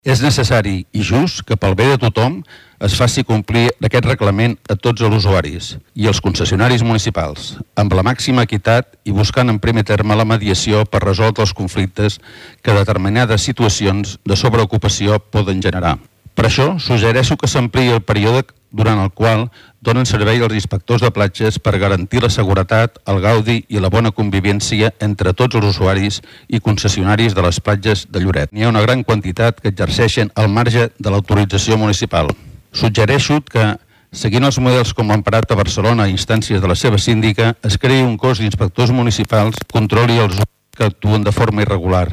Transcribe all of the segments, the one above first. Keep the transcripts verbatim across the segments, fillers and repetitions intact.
És necessari i just que pel bé de tothom es faci complir aquest reglament a tots els usuaris i els concessionaris municipals, amb la màxima equitat i buscant en primer terme la mediació per resoldre els conflictes que determinades situacions de sobreocupació poden generar. Per això, suggereixo que s'ampliï el període durant el qual donen servei els inspectors de platges per garantir la seguretat, el gaudi i la bona convivència entre tots els usuaris i concessionaris de les platges de Lloret. N'hi ha una gran quantitat que exerceixen al marge de l'autorització municipal. Suggereixo que, seguint els models com l'emparat a Barcelona a instàncies de la seva síndica, es creï un cos d'inspectors municipals que controli els usuaris que actuen de forma irregular,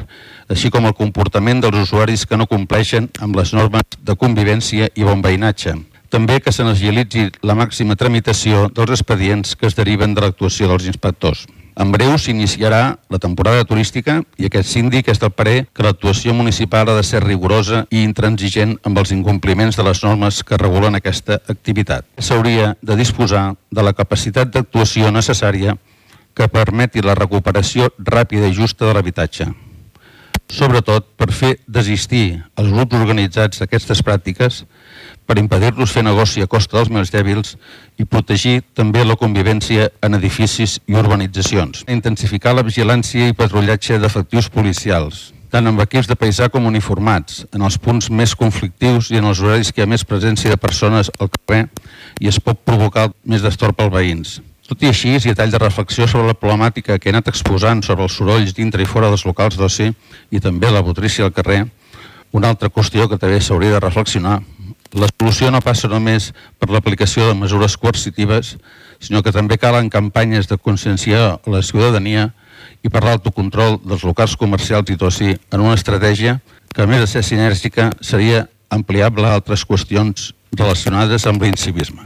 així com el comportament dels usuaris que no compleixen amb les normes de convivència i bon veïnatge. També que se n'agilitzi la màxima tramitació dels expedients que es deriven de l'actuació dels inspectors. En breu s'iniciarà la temporada turística i aquest síndic és del parer que l'actuació municipal ha de ser rigorosa i intransigent amb els incompliments de les normes que regulen aquesta activitat. S'hauria de disposar de la capacitat d'actuació necessària que permeti la recuperació ràpida i justa de l'habitatge. Sobretot per fer desistir els grups organitzats d'aquestes pràctiques, per impedir-los fer negoci a costa dels més dèbils i protegir també la convivència en edificis i urbanitzacions. Intensificar la vigilància i patrullatge d'efectius policials, tant amb equips de paisà com uniformats, en els punts més conflictius i en els horaris que hi ha més presència de persones al carrer i es pot provocar més destorb als veïns. Tot i així, i a tall de reflexió sobre la problemàtica que he anat exposant sobre els sorolls dintre i fora dels locals d'oci i també la botrícia al carrer, una altra qüestió que també s'hauria de reflexionar. La solució no passa només per l'aplicació de mesures coercitives, sinó que també calen campanyes de conscienciar a la ciutadania i per l'autocontrol dels locals comercials i d'oci en una estratègia que, a més de ser sinèrgica, seria ampliable a altres qüestions relacionades amb l'incivisme.